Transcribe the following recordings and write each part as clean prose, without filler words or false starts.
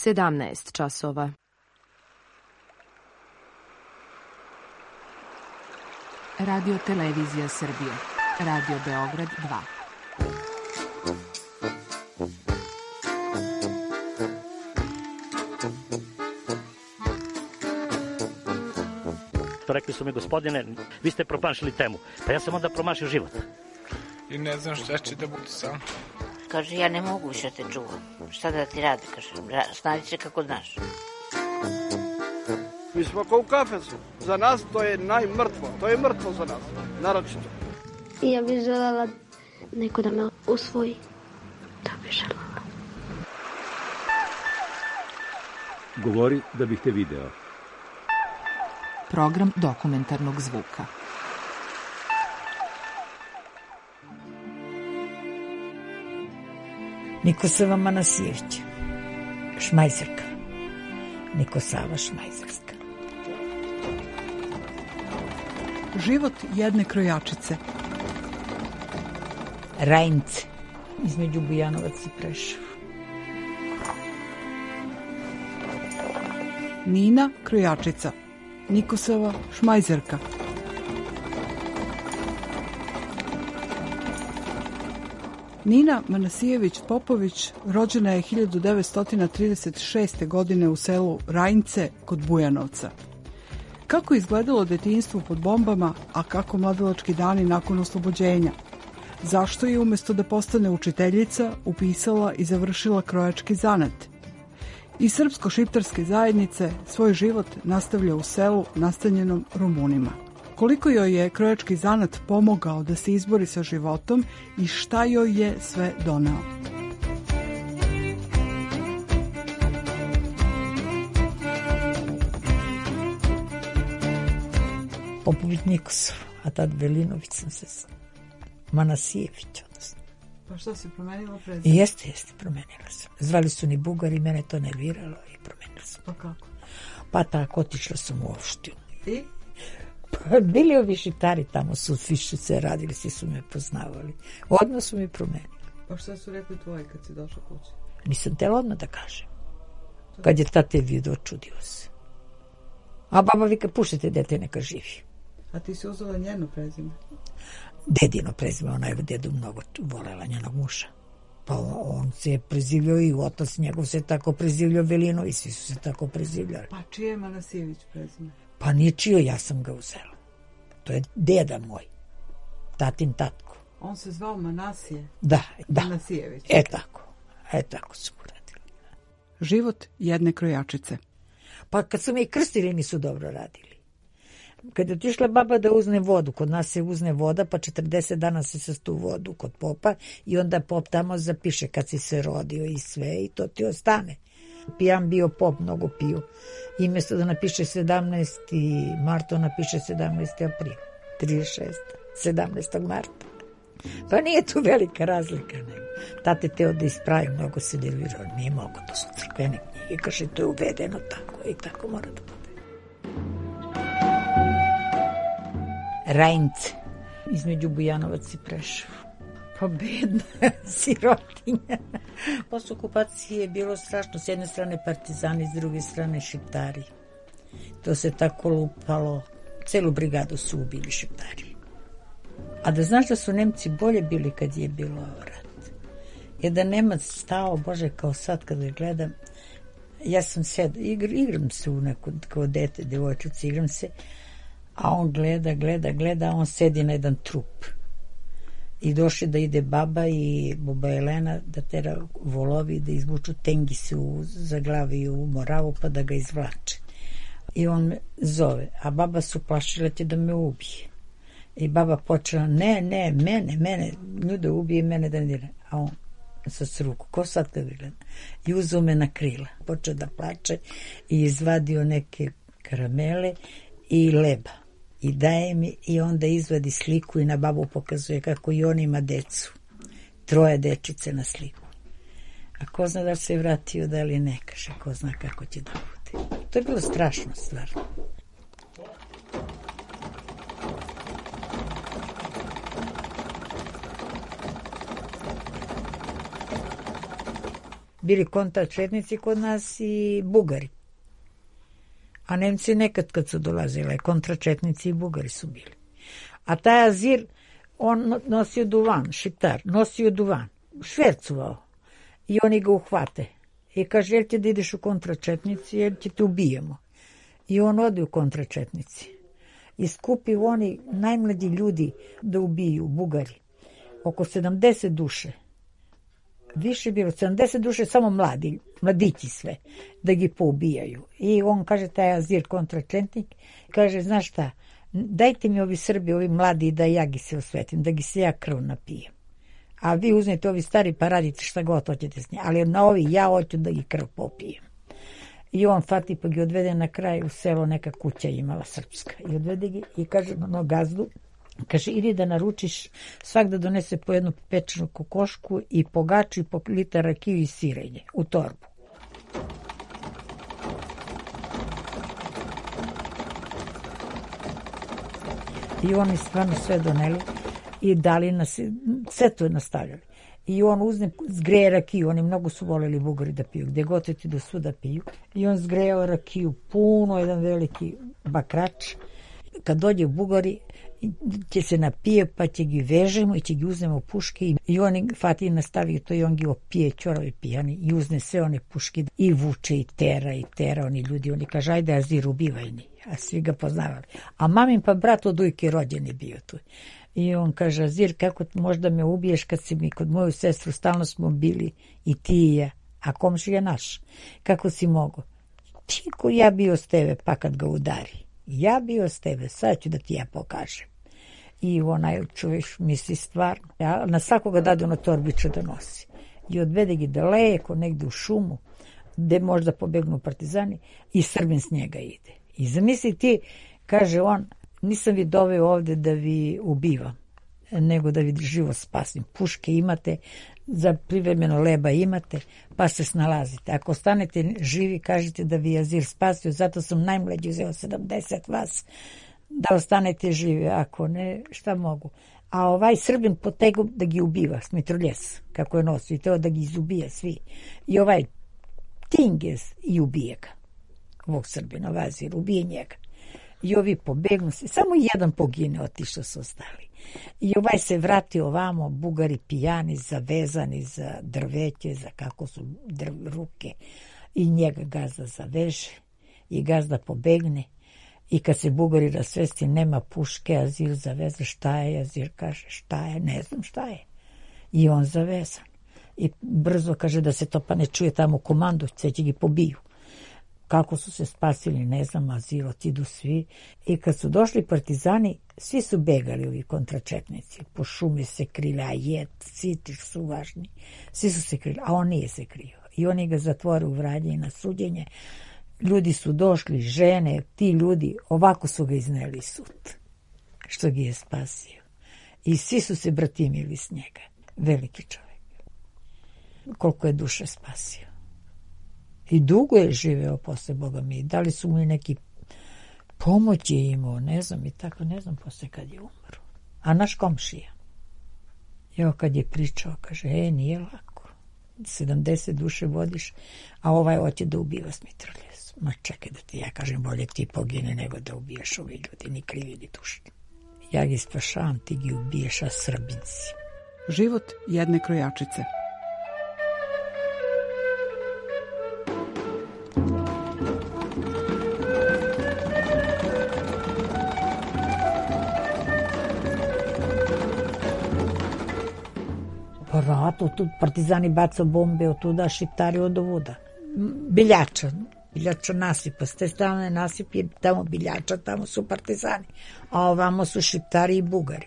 17 časova. Radio Televizija Srbije. Radio Beograd 2. Rekli su mi, gospodine, vi ste promašili temu. Pa ja sam onda promašio život. I ne znam šta će da bude sam. Kaže, ja ne mogu više te čuvam. Šta da ti radi? Kaže, snađi se kako znaš. Mi smo kao u kafesu. Za nas to je najmrtvo. To je mrtvo za nas. Naročito. I ja bih želela neko da me usvoji. Da bih želela. Govori da bih te video. Program dokumentarnog zvuka. Nikosava Manasijević, Šmajzerka. Nikosava Šmajzerska. Život jedne krojačice. Rajnce, između Bujanovac i Preševo. Nina krojačica. Nikosava Šmajzerka. Nina Manasijević Popović rođena je 1936. godine u selu Rajnce kod Bujanovca. Kako je izgledalo detinjstvo pod bombama, a kako mladilački dani nakon oslobođenja? Zašto je umjesto da postane učiteljica upisala i završila krojački zanat? Iz srpsko-šiptarske zajednice svoj život nastavlja u selu nastanjenom Rumunima. Koliko joj je krojački zanat pomogao da se izbori sa životom i šta joj je sve doneo? Popović Nikosov, a tad Velinović sam se Manasijević, odnosno. Pa što si promenila prezime? Jeste, promenila sam. Zvali su ni Bugari, mene to nerviralo i promenila sam. Pa kako? Pa tako, otišla sam u opštinu. I? Pa bili ovi šiptari tamo, su fišice radili, svi su me poznavali. Odmah su mi promenili. Pa šta su rekli tvoji kad si došla kući? Nisam tela odmah da kažem. Kad je tate vidio, čudio se. A baba vika, puštite dete, neka živi. A ti si uzela njeno prezime? Dedino prezime, ona je dedu mnogo volela njenog muža. Pa on se je prezivljao i otac njegov se tako prezivljao, Velino, i svi su se tako prezivljali. Pa čije je Manasijević prezime? Pa nije čio, ja sam ga uzela. To je deda moj, tatin tatko. On se zvao Manasije? Da. Manasijević. Tako su uradili. Život jedne krojačice. Pa kad su me i krstili nisu dobro radili. Kad je otišla baba da uzne vodu, kod nas se uzne voda, pa 40 dana se sastu vodu kod popa i onda pop tamo zapiše kad si se rodio i sve i to ti ostane. Pijan bio pop, mnogo piju. I mjesto da napiše 17. marta, napiše 17. april. 36. 17. marta. Pa nije tu velika razlika. Nego. Tate teo da ispravi, mnogo se delirao. Nije mogo, to su crkvene knjige. Kaže, to je uvedeno tako i tako mora da bude. Rajnce, između Bujanovac i Preševo. Pa bedna sirotinja. Posle okupacije je bilo strašno. S jedne strane partizani, s druge strane šiptari. To se tako lupalo. Celu brigadu su ubili šiptari. A da znaš da su Nemci bolje bili kad je bilo rat. Jedan Nemac stao, Bože, kao sad kad ga gledam, ja sam igram se u neko, kao dete, devojčice, igram se, a on gleda, a on sedi na jedan trup. I došli da ide baba i baba Elena da tera volovi da izvuču tengise za glavi u Moravu pa da ga izvlače. I on me zove, a baba su plašila će da me ubije. I baba počela, ne, mene, nju da ubije, mene da ne dira. A on sa ruku, ko sad kad ga gleda? I uzeo me na krila. Počeo da plače i izvadio neke karamele i leba. I daje mi i onda izvadi sliku i na babu pokazuje kako i on ima decu. 3 dečice na sliku. A ko zna da se je vratio, da li ne, kaže, ko zna kako će da bude. To je bilo strašno stvarno. bili kontračetnici kod nas i Bugari. A Nemci nekad kad su dolazili, kontračetnici i Bugari su bili. A taj Azir, on nosio duvan, šiptar, nosio duvan, švercovao. I oni ga uhvate. I kaže, jel ti da ideš u kontračetnici, jel ti te ubijemo. I on ode u kontračetnici. I skupi oni najmlađi ljudi da ubiju, Bugari. Oko 70 duše. Više bilo, 70 duše, samo mladići sve, da gi poubijaju. I on kaže, taj Azir kontračetnik, kaže, znaš šta, dajte mi ovi Srbi, ovi mladi, da ja gi se osvetim, da gi se ja krv napijem. A vi uzmete ovi stari pa radite šta god hoćete s njim. Ali na ovi ja hoću da gi krv popijem. I on fati pa gi odvede na kraj u selo, neka kuća imala srpska. I odvede gi i kaže na gazdu, kaže, idi da naručiš, svak da donese po jednu pečenu kokošku i po gaču i po litar rakiju i sirenje u torbu. I oni stvarno sve doneli i dali nas, sve to je nastavljali. I on uzme, zgreje rakiju, oni mnogo su voleli Bugari da piju, gdje god ti do svuda piju. I on zgrejao rakiju, puno, jedan veliki bakrač. Kad dođe Bugari, će se napije, pa će gi vežemo i će gi uzmemo puške i oni Fatih nastavi to i on gi opije, čorovi pijani i uzne sve one puške i vuče i tera oni ljudi, oni kaže, ajde Azir, ubivaj ni, a svi ga poznavali. A mamin pa brat od ujke rođen je bio tu. I on kaže, Azir, kako možda me ubiješ kad si mi kod moju sestru, stalno smo bili i ti i ja, a komšija naš, kako si mogo? Tiko ja bio s tebe, pa kad ga udari. Ja bio s tebe, sad ću da ti ja pokažem. I onaj čovjek misli stvarno. Ja na svakoga dadu na torbiću da nosi. I odvede gi daleko, negdje u šumu, gde možda pobegnu partizani i Srbin s njega ide. I zamisli ti, kaže on, nisam vi doveo ovde da vi ubivam, nego da vi život spasim. Puške imate, za privremeno leba imate, pa se snalazite. Ako ostanete živi, kažete da vi Azir spasio, zato sam najmlađi uzeo 70 vas, da ostanete živi, ako ne, šta mogu. A ovaj Srbin potegu da gi ubiva, smitroljes, kako je nosio, i teo da gi izubije svi. I ovaj Tingez i ubije ga, ovog Srbina, Azir, ubije njega. I ovi pobegnu se, samo jedan pogine, otišao su ostali. I ovaj se vrati ovamo, Bugari pijani, zavezani za drveće, za kako su ruke. I njega gazda zaveže i gazda pobegne. I kad se Bugari rasvesti, nema puške, Azir zaveze, šta je? Azir kaže, šta je? Ne znam šta je. I on zavezan. I brzo kaže da se to pa ne čuje tamo u komandu, sve će gi pobiju. Kako su se spasili, ne znam, Azir, otidu svi. I kad su došli partizani, svi su begali, ovi kontračetnici. Po šumi se krili, a citi su važni. Svi su se krili, a on nije se krio. I oni ga zatvore u Vranje i na suđenje. Ljudi su došli, žene, ti ljudi, ovako su ga izneli sud, što gi je spasio. I svi su se bratimili s njega. Veliki čovjek. Koliko je duše spasio. I dugo je živeo posle, Boga mi. Da li su mu i neki pomoć je imao, ne znam, i tako, ne znam posle kad je umro. A naš komšija. Evo kad je pričao, kaže, nije lako. 70 duše vodiš, a ovaj hoće da ubiva smitroljes. Ma čekaj da ti ja kažem, bolje ti pogine nego da ubijaš ovi ljudi, ni krivi ni dušni. Ja gi spašavam, ti gi ubiješ, a Srbinci. Život jedne krojačice. Po ratu, tu partizani bacao bombe od tuda, šiptari od ovuda. Biljača nasipa, s te strane nasip je tamo Biljača, tamo su partizani, a ovamo su šiptari i Bugari.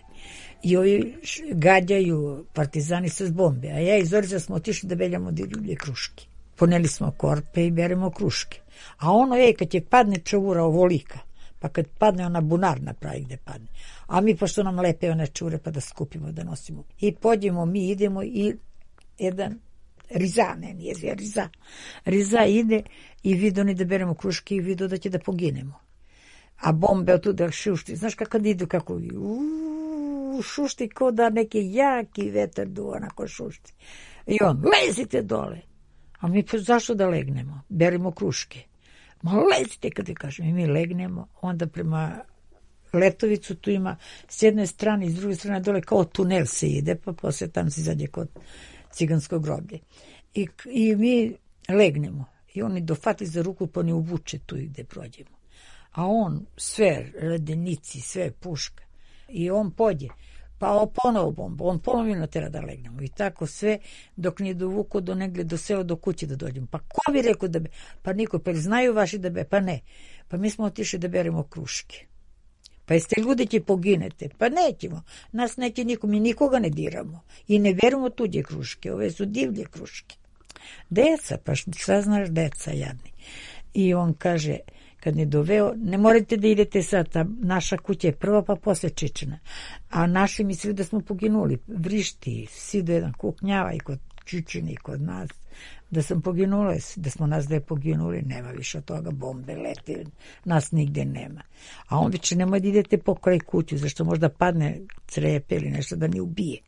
I ovi gađaju partizani s bombe, a ja i Zorica smo otišli da beljamo divlje kruške. Poneli smo korpe i beremo kruške. A ono je, kad je padne čavura ovolika, pa kad padne ona bunar napravi gde padne. A mi, pošto nam lepe one čure, pa da skupimo, da nosimo. I pođemo, mi idemo i jedan Riza ide i vidi oni da beremo kruške i vidi da će da poginemo. A bombe od tuda šušti. Znaš kako idu, kako šušti ko da neki jaki vetar du, onako šušti. I on, lezite dole. A mi pa zašto da legnemo? Beremo kruške. Ma lezite, kada kažem. I mi legnemo, onda prema Letovicu tu ima s jedne strane i s druge strane dole kao tunel se ide, pa posle tam se izađe kod ciganskog groblje. I mi legnemo. I oni dofati za ruku pa ne uvuče tu gde prođemo. A on sve redenici, sve puška. I on pođe. Pa ponovo bomba. On ponovo natera da legnemo. I tako sve dok nije dovuko do negdje do sela do kuće da dođemo. Pa ko bi rekao da pa niko, pa znaju vaši da pa ne. Pa mi smo otišli da beremo kruške. Pa jeste ljudi će poginete? Pa nećemo. Nas neće niko, mi nikoga ne diramo. I ne beremo tuđe kruške. Ove su divlje kruške. Deca, pa šta znaš deca jadni. I on kaže, kad ne doveo, ne morate da idete sad, naša kuća je prva pa posle Čičina. A naši mislili da smo poginuli. Vrišti, svi do jedan kuknjava i kod Čičina i kod nas. Da sam poginula, da smo nas da je poginuli, nema više od toga, bombe lete, nas nigde nema. A on viče, nemoj da idete pokraj kuću, zašto možda padne crepe ili nešto da ne ubije.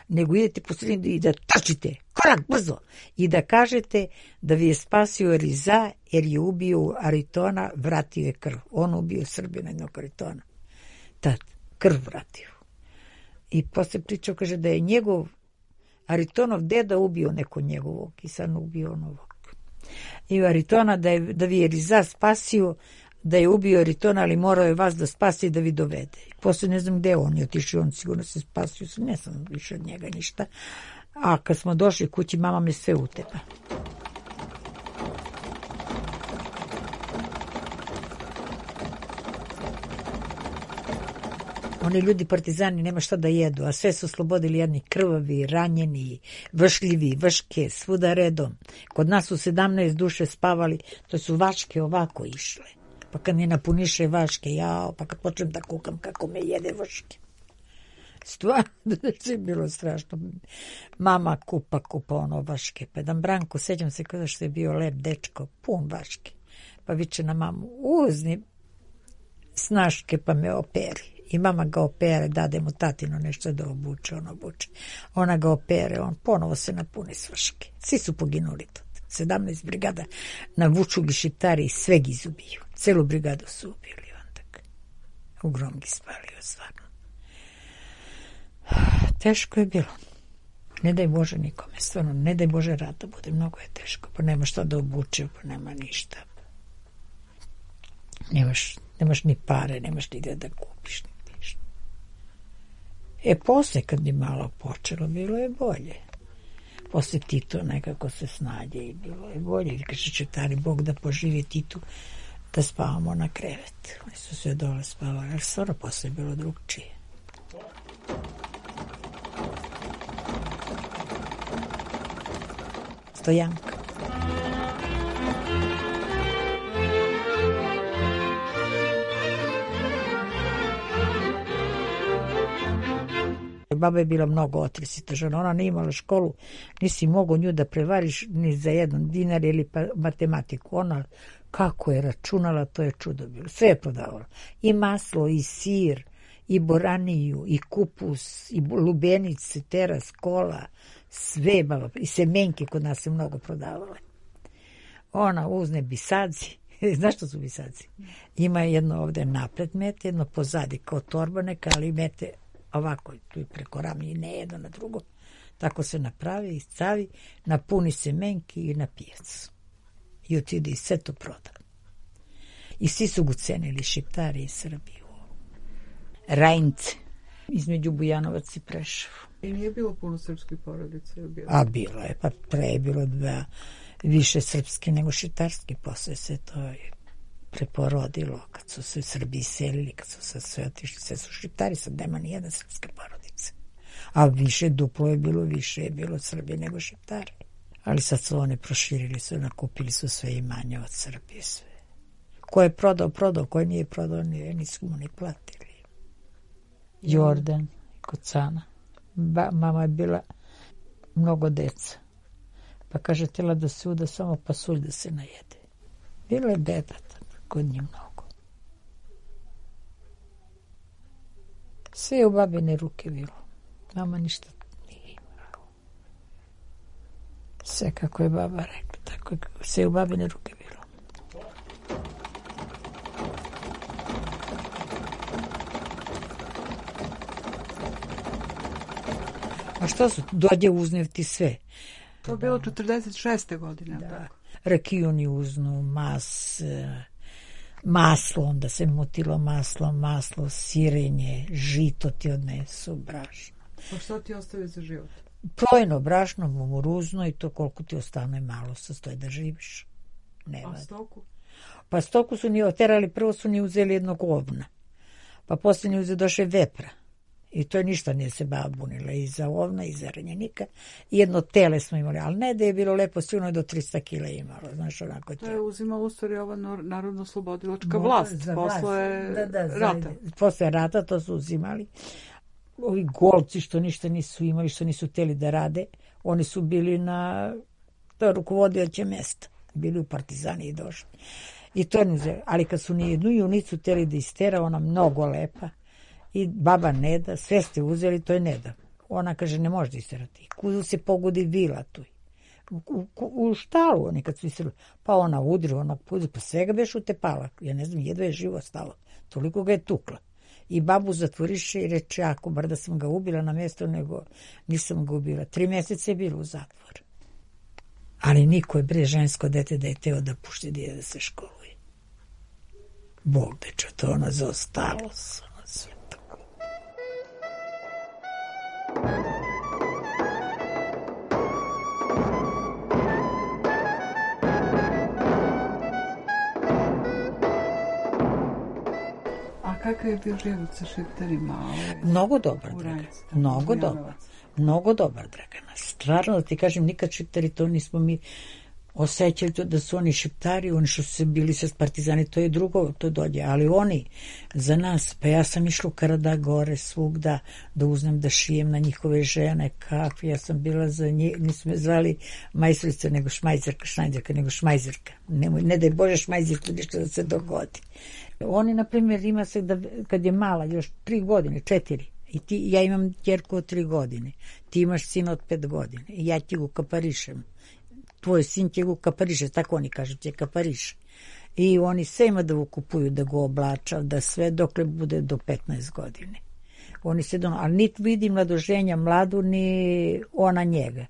Nego idete po sredini i da trčite, korak, brzo, i da kažete da vi je spasio Riza, jer je ubio Aritona, vratio je krv. On ubio Srbina jednog Aritona. Tad, krv vratio. I posle pričao, kaže da je njegov Aritonov deda ubio neko njegovog i sad ubio novog. I Aritona da vi je Riza spasio, da je ubio Aritona, ali morao je vas da spasi i da vi dovede. I posle ne znam gde on je otišao, on sigurno se spasio, ne znam više od njega ništa. A kad smo došli kući, mama me sve utepa. Oni ljudi partizani nema šta da jedu, a sve su oslobodili jedni krvavi, ranjeni, vršljivi, vrške, svuda redom. Kod nas su 17 duše spavali, to su vaške ovako išle. Pa kad mi napuniše vaške, jao, pa kad počnem da kukam kako me jede vrške. Stvarno, da je bilo strašno. Mama kupa ono vaške. Pa jedan Branko, sećam se kada što je bio lep dečko, pun vaške. Pa viče na mamu, uzni snaške pa me operi. I mama ga opere, dade mu tatino nešto da obuče, on obuče. Ona ga opere, on ponovo se napuni svrške. Svi su poginuli tu. 17 brigada navuču gi Šiptari i sve gi izubiju. Celu brigadu su ubili onda. U grom gi spalio, stvarno. Teško je bilo. Ne daj Bože nikome, stvarno, ne daj Bože rata bude, mnogo je teško, pa nema šta da obuče, pa nema ništa. Nemaš ni pare, nemaš ni da kupiš, ni ništa. Posle kad je malo počelo, bilo je bolje. Posle Tito nekako se snađe i bilo je bolje. Kaže Šiptari, Bog da poživi Titu, da spavamo na krevet. Oni su sve dole spavali, ali stvarno posle je bilo drugčije. Stojanka. Baba je bila mnogo otresita žena, ona nije imala školu, nisi mogao nju da prevariš ni za jedan dinar ili pa matematiku. Ona kako je računala, to je čudo bilo. Sve je prodavala. I maslo, i sir, i boraniju, i kupus, i lubenice, teras, kola, sve baba, i semenke kod nas se mnogo prodavale. Ona uzne bisadzi, znaš što su bisadzi? Ima jedno ovde napred mete, jedno pozadi kao torba neka, ali mete ovako, tu preko ramlje, ne jedno na drugo. Tako se napravi, iscavi, napuni semenki i na pijac. I otide i sve to proda. I svi su ga cenili, Šiptari i Srbiju. Rajnce, između Bujanovac i Preševo. I nije bilo puno srpskih porodica? A bilo je, pa pre je bilo više srpski nego šiptarski, posle se to preporodilo, kad su se Srbi iselili, kad su se sve otišli, sve su Šiptari, sad nema ni jedna srpska porodica. A više, duplo je bilo Srbije nego Šiptari. Ali sad su one proširili, nakupili su sve imanje od Srbije, sve. Ko je prodao, ko nije prodao, nisu mu ni platili. Jordan, kod Cana. Mama je bila mnogo deca. Pa kaže, htjela da se uda samo pasulj da se najede. Bilo je beba kod njih mnogo. Sve je u babine ruke bilo. Mama ništa nije imala. Sve kako je baba rekla, tako je sve u babine ruke bilo. A što su? Dođe uznev ti sve. To je bilo 46. godine. Da. Rakiju ni uznu, maslo, onda se mutilo maslo, sirenje, žito ti odnesu, brašno. Pa što ti ostavi za život? Plojno brašno, mumuruzno i to koliko ti ostane malo sastoji da živiš. A stoku? Pa stoku su ni oterali, prvo su ni uzeli jednog ovna. Pa poslije ni uzeli došle vepra. I to ništa nije se baba bunila i za ovna i za ranjenika. I jedno tele smo imali, ali ne da je bilo lepo, sigurno je do 300 kila imalo, znaš, onako to je uzimala u stvari ova narodno-slobodilačka vlast posle rata. Posle rata to su uzimali. Ovi golci što ništa nisu imali, što nisu htjeli da rade, oni su bili na rukovodioće mesta, bili u partizani i došli. I to ne uzeli, ali kad su ni jednu junicu htjeli da istera, ona mnogo lepa, i baba ne da, sve ste uzeli, to je ne da. Ona kaže, ne može da isterati. Kudu se pogodi vila tu. U štalu oni kad su isterali. Pa ona udri, ona puzi, pa svega beš utepala. Ja ne znam, jedva je živo stalo. Toliko ga je tukla. I babu zatvoriše i reče, ako bar da sam ga ubila na mjesto, nego nisam ga ubila. 3 mjeseca je bilo u zatvor. Ali niko je bre žensko dete da je teo da pušti dije da se školuje. Bog deča, to ona zaostalo se. Kakav je bio život sa šiptarima? Mnogo dobar, Dragana. Mnogo dobar, Dragana. Stvarno, da ti kažem, nikad šiptari to nismo mi osjećali to da su oni šiptari, oni što su bili sa partizani, to je drugo, to dođe. Ali oni, za nas, pa ja sam išla u Karada gore svugda, da uznem da šijem na njihove žene, kakve, ja sam bila za njih, nisu me zvali majstorica, nego šnajzerka, nego šmajzerka. Ne daj Bože šmajzerku ništa da se dogodi. Oni, na primjer, ima se da, kad je mala, još 3 godine, 4, i ja imam djerku od 3 godine, ti imaš sina od 5 godine, i ja ti ga kaparišem. Tvoj sin će ga kapariše, tako oni kažu, će kapariše. I oni sve ima da kupuju, da ga oblača, da sve dokle bude do 15 godine. Oni se ali niti vidi mladoženja mladu, ni ona njega.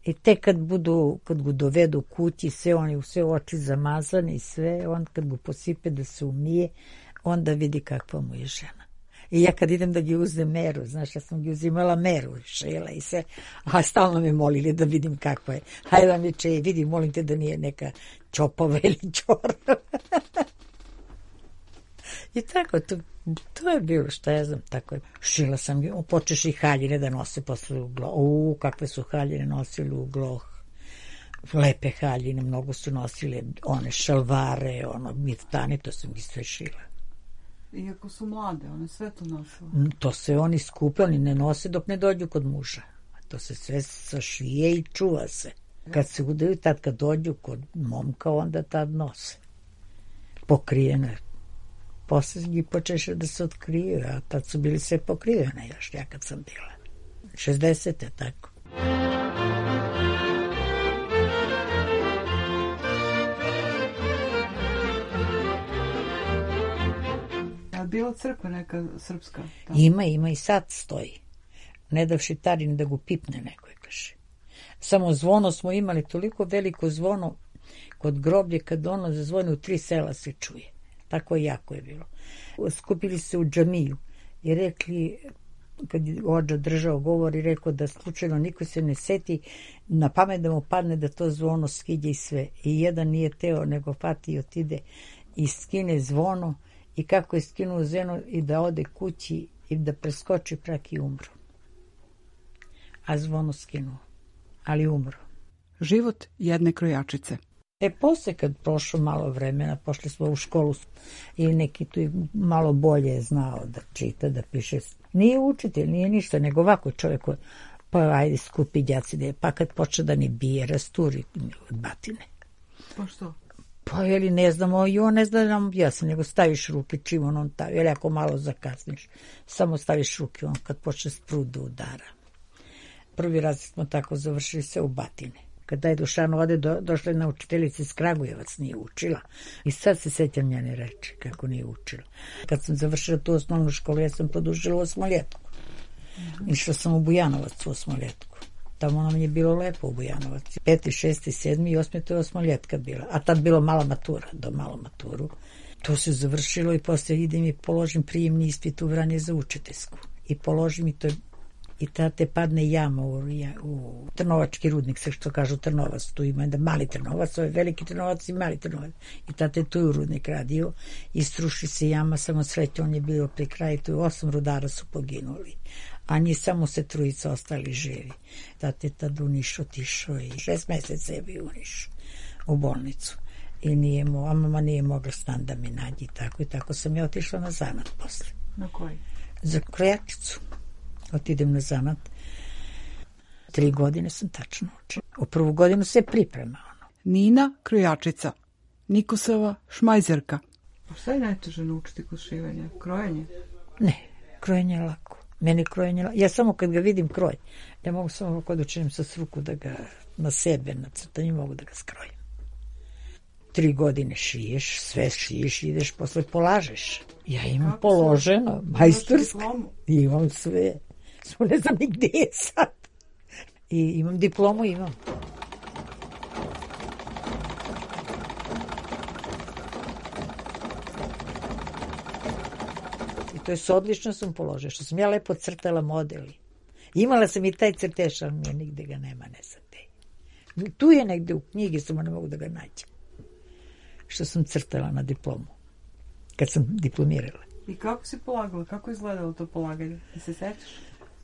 I tek kad ga dovedu kući, sve oni sve oči zamazani i sve, on kad ga posipe da se umije, onda vidi kakva mu je žena. I ja kad idem da gi uzem meru, znaš, ja sam gi uzimala meru, šela i sve, a stalno me molili da vidim kakva je. Hajde da mi vidi, molim te da nije neka čopava ili čorava. I tako, to je bilo, šta ja znam, tako je. Šila sam, počeš i haljine da nose posle u gloh. Kakve su haljine nosili u gloh. Lepe haljine, mnogo su nosile one šalvare, miftane, to sam ih sve šila. Iako su mlade, one sve to nosile. To se oni skupe, oni ne nose dok ne dođu kod muža. To se sve sašije i čuva se. Kad se udaju, tad kad dođu kod momka, onda tad nose. Pokrijene. Posle njih počeše da se otkriju, a tad su bili sve pokrivene još, ja kad sam bila. 60. tako. A bila crkva neka srpska? Tamo? Ima i sad stoji. Ne da šiptarin da ga pipne neko, kaže. Samo zvono smo imali, toliko veliko zvono kod groblje, kad ono zazvoni u 3 sela se čuje. Tako jako je bilo. Skupili se u džamiju i rekli, kad je ođa držao govor i rekao da slučajno niko se ne seti na pamet da mu padne da to zvono skidje i sve. I jedan nije teo, nego fati i otide i skine zvono i kako je skinuo zvono i da ode kući i da preskoči prak i umru. A zvono skinuo, ali umru. Život jedne krojačice. Posle kad prošlo malo vremena, pošli smo u školu i neki tu malo bolje znao da čita, da piše. Nije učitelj, nije ništa, nego ovako čovjek, pa ajde skupi đaci, pa kad počne da ni bije, rasturi od batine. Pa što? Pa jeli ne znamo, i on ne zna nam objasni, nego staviš ruke čim on tavi, jeli ako malo zakasniš, samo staviš ruke, on kad počne sprut da udara. Prvi raz smo tako završili se u batine. Kada je Dušan ode, došla jedna učiteljica iz Kragujevac, nije učila. I sad se sećam njene reči, kako nije učila. Kad sam završila tu osnovnu školu, ja sam produžila u Osmoljetku. Išla sam u Bujanovac u Osmoljetku. Tamo nam je bilo lepo u Bujanovac. 5., 6., 7. i 8. to je Osmoljetka bila. A tad bilo mala matura, do malo maturu. To se završilo i poslije idem i položim prijemni ispit u Vranje za učiteljsku. I položim i to je i tada te padne jama u Trnovački rudnik, sve što kažu Trnovac, tu ima jedan mali Trnovac, ovo je veliki Trnovac i mali Trnovac. I tada je tu u rudnik radio i struši se jama, samo sreće, on je bio pri kraju, tu 8 rudara su poginuli, a njih samo se 3 ostali živi. Tada je tad u Niš otišao i 6 meseca je bio u Nišu, u bolnicu. I a mama nije mogla stan da mi nađe i tako sam ja otišla na zanat posle. Na koji? Za krojačicu. Otidem na zanat. 3 godine sam tačno učila. U prvu godinu se priprema. Nina krojačica, Nikosova šmajzerka. A šta je najteže naučiti kod šivanja? Krojenje? Ne, krojenje je lako. Meni krojenje je lako. Ja samo kad ga vidim kroj, ja mogu samo kod učinim sa ruku da ga na sebe nacrtam, mogu da ga skrojim. 3 godine šiješ, sve šiješ, ideš, posle polažeš. Ja imam položeno, majstorsko. Imam sve. Smo ne znam ni gde je sad. I imam diplomu, imam. I to je odlično sam položila, što sam ja lepo crtala modeli. Imala sam i taj crtež, ali nigde ga nema, ne znam gde. Tu je negde u knjigi, samo ne mogu da ga nađem. Što sam crtala na diplomu, kad sam diplomirala. I kako si polagala? Kako je izgledalo to polaganje? Da se sećaš?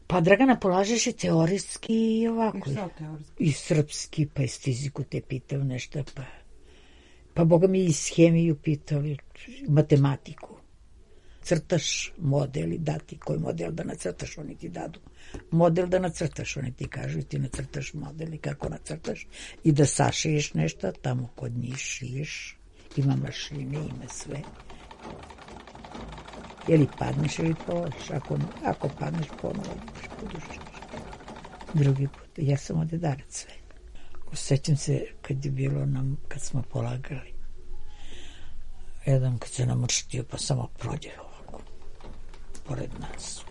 Pa, Dragana, polažeš i teorijski i ovako. I šta teorijski? I srpski, pa iz fiziku te pitao nešto, pa boga mi iz hemiju pitali, matematiku. Crtaš model i dati koji model da nacrtaš, oni ti dadu. Model da nacrtaš, oni ti kažu i ti nacrtaš model i kako nacrtaš i da sašiješ nešto, tamo kod njih šiješ, ima mašine, ima sve. Ili padneš ili položiš, ako padneš ponovo podušiš. Drugi put, ja sam odedarac sve. Osjećam se kad je bilo nam, kad smo polagali, jedan kad se namrštio pa samo prođe ovako, pored nas.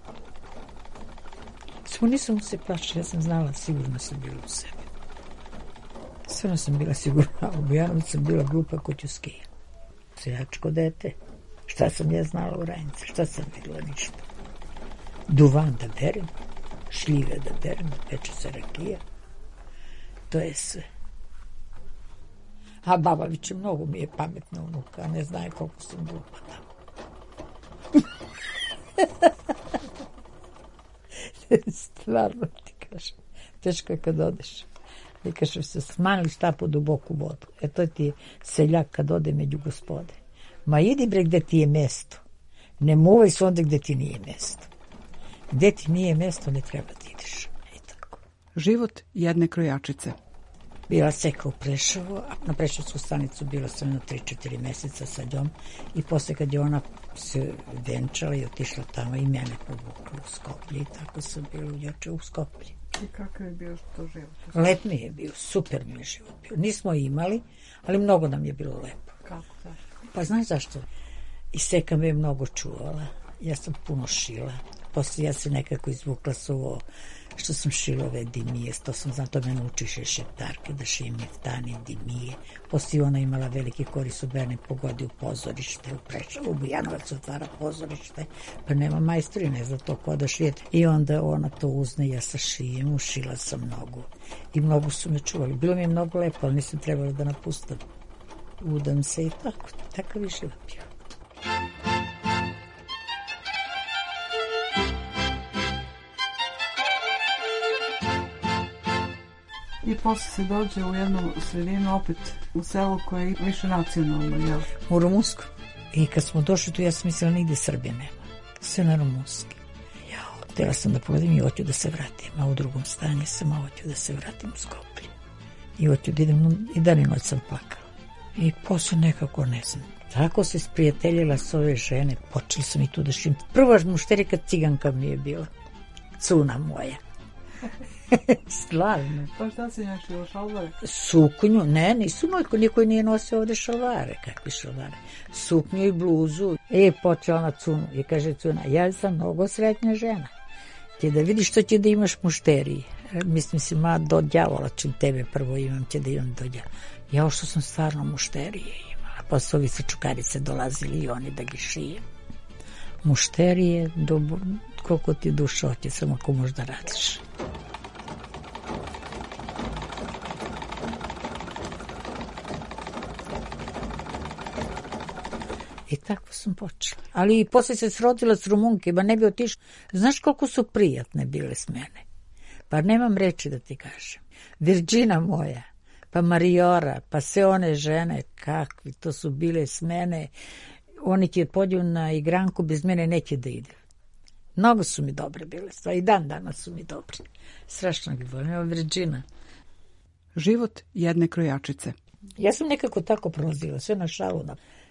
Samo nisam se plašila, ja sam znala, sigurno sam bila u sebi. Sigurno sam bila sigurna, u Bujanovicu sam bila glupa ko Ćuskija. Seljačko dete. Šta sam ja znala u Rajnici, šta sam videla, ništa. Duvan da berem, šljive da berem, peče se rakija. To je sve. A Babavić mnogo mi je pametna unuka, a ne znaje koliko sam glupa tamo. Stvarno ti kažem. Teško je kad odeš. Ti kažem se smanili štapu duboku vodu. To ti je seljak kad ode među gospode. Ma idi bre gde ti je mesto. Ne muvaj se onda gde ti nije mesto. Gde ti nije mesto ne treba da ideš. I tako. Život jedne krojačice. Bila seka u Prešovu, a na Prešovsku stanicu bila sam na 3-4 meseca sa njom i posle kad je ona se venčala i otišla tamo i mene povukla u Skoplje i tako sam bila u Skoplje. I kakav je bio to život? Lep mi je bio, super mi je život bio. Nismo imali, ali mnogo nam je bilo lepo. Kako, zašto? Pa znaš zašto? I seka me je mnogo čuvala. Ja sam puno šila. Posle ja se nekako izvukla s ovo što sam šila ove dimije. To sam znam, to me naučiše šeptarke da šijem neftane, dimije. Posle ona imala veliki koris u mene, pogodi u pozorište, u Prešovu, u Bujanovac otvara pozorište, pa nema majstori, ne zna to ko da šijete. I onda ona to uzne, ja sa šijem, ušila sam mnogo. I mnogo su me čuvali. Bilo mi je mnogo lepo, ali nisam trebala da napustam. Udam se i tako. Takav je život bio. I posle se dođe u jednu sredinu, opet u selu koje je više nacionalno, jel? U Rumunsku. I kad smo došli tu, ja sam mislila nigde Srbije nema. Sve na rumunski. Htjela sam da pogledam i hoću da se vratim. A u drugom stanju sam, a hoću da se vratim u Skoplje. I hoću da idem, i dan i noć sam plakala. I posle nekako ne znam. Tako se sprijateljila s ove žene. Počeli sam i tu da šim. Prva mušterika ciganka mi je bila. Cuna moja. Stvarno. Pa šta si našla, šalvare? Suknju, ne, nisu niko nije nosio ovde šalvare. Kakvi šalvare? Suknju i bluzu. Počela na Cunu i kaže Cuna, ja sam mnogo sretna žena. Ti da vidiš što će da imaš mušterije. Mislim si, do đavola čim tebe prvo imam, će da imam do đavola. Ja što sam stvarno mušterije imala. Pa su ovi sa čukarice dolazili i oni da gi šije. Mušterije, koliko ti duša hoće, samo ako možda radiš. I tako sam počela. Ali i posle se srodila s Rumunkima, ne bi otišla. Znaš koliko su prijatne bile s mene? Pa nemam reči da ti kažem. Virđina moja, pa Mariora, pa sve one žene, kakvi to su bile s mene. Oni će pođu na igranku, bez mene neće da ide. Mnogo su mi dobre bile stvari, i dan danas su mi dobre. Strašno bi volim, evo Virđina. Život jedne krojačice. Ja sam nekako tako prolazila, sve na šalu,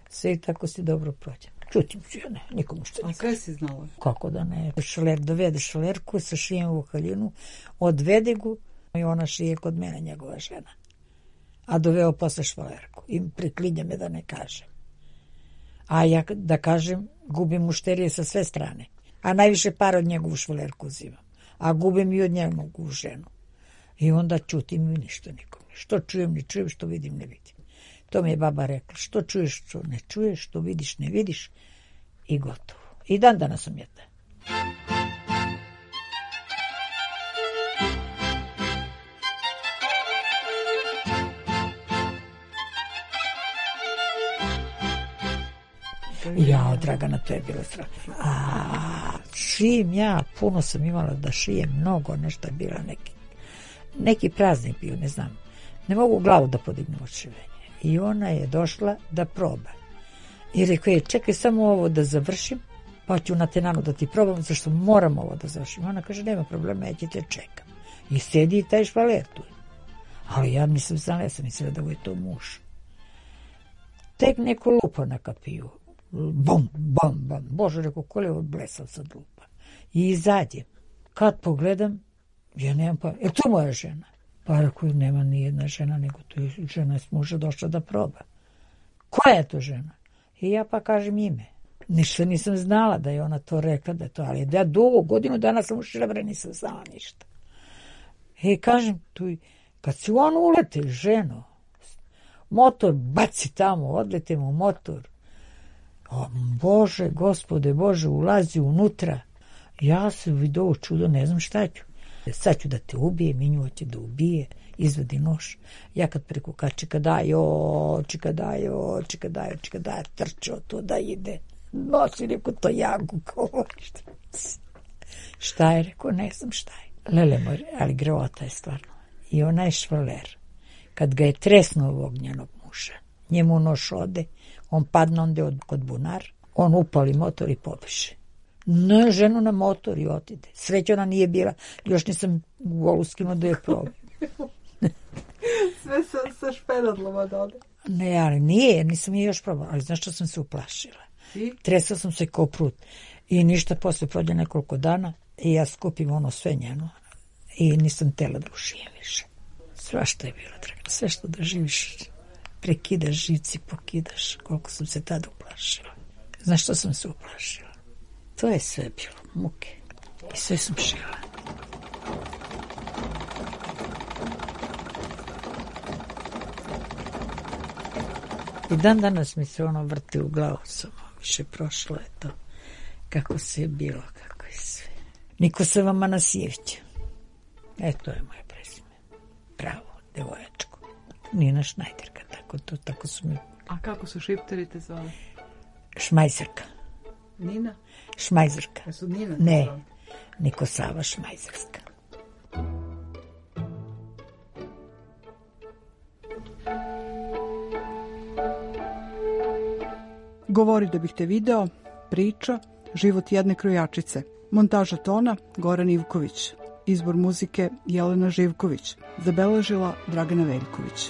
sve i tako si dobro prođe. Čutim ću ja, ne, nikomu što nikada. A sve si znala? Kako da ne. Šaler dovede šalerku sa šijem u haljinu, odvede gu i ona šije kod mene, njegova žena. A doveo posle šalerku i preklinja me da ne kažem. A ja da kažem, gubim mušterije sa sve strane. A najviše para od njegovu švalerku uzimam. A gubim i od njegovu ženu. I onda čutim i ništa nikom. Što čujem, ne čujem, što vidim, ne vidim. To mi je baba rekla. Što čuješ, što ne čuješ, što vidiš, ne vidiš. I gotovo. I dan danas sam jedna. Ja, Dragana, to je bilo strašno. Šijem ja, puno sam imala da šijem, mnogo, nešto je bila neki praznik bio, ne znam. Ne mogu glavu da podignem od šivenja. I ona je došla da proba. I rekao je, čekaj samo ovo da završim, pa ću na tenanu da ti probam, zašto moram ovo da završim. Ona kaže, nema problema, ja ću te čekam. I sedi i taj švaler tu. Ali ja nisam znala, ja sam mislila da je to muž. Tek neko lupa na kapiju. Bum, bum, bum. Bože, rekao, ko je ovo blesav sad lupa. I izađem. Kad pogledam, ja nemam pa... to je moja žena? Pa rekao, nema ni jedna žena, nego to je žena s muža došla da proba. Koja je to žena? I ja pa kažem ime. Ništa nisam znala da je ona to rekla, da je to, ali ja dugo, godinu dana sam u Šrebre, nisam znala ništa. I kažem, tu, kad si on ulete, ženo, motor baci tamo, odletem u motor. O, Bože, Gospode, Bože, ulazi unutra. Ja se vidio čudo, ne znam šta ću. Sad ću da te ubije, Minju će da ubije, izvedi nož. Ja kad preko čikadajo, trčao to da ide. Nosi, rekao, to jagu, šta je, rekao, ne znam šta je. Lele moj, ali greota je stvarno. I onaj švaler, kad ga je tresnuo ovog njenog muža, njemu nož ode, on padne onda kod bunar, on upali motor i pobeže. Ne, ženu na motor i otide. Sreća ona nije bila, još nisam golu skinuo da je probam. Sve sa špenadloma da ode. Ne, ali nije, nisam je još probala, ali znaš što sam se uplašila. Tresla sam se kao prut. I ništa, posle prođe nekoliko dana i ja skupim ono sve njeno i nisam tela da ušijem više. Svašta je bilo, draga, sve što da živiš, prekidaš živci, pokidaš, koliko sam se tada uplašila. Znaš što sam se uplašila? To je sve bilo, muke. I sve sam šila. I dan danas mi se ono vrti u glavu, samo više prošlo je to. Kako se je bilo, kako je sve. Nikosava Manasijević. To je moje prezime. Pravo, devojačko. Nina Šnajderka, tako su mi... A kako su šipteri te zvali? Šmajzerka. Nina? Šmajzerka. Jesu Nina? Ne, Nikosava Šmajzerska. Govori da bih te video, priča, život jedne krojačice. Montaža tona Goran Ivković. Izbor muzike Jelena Živković. Zabeležila Dragana Veljković.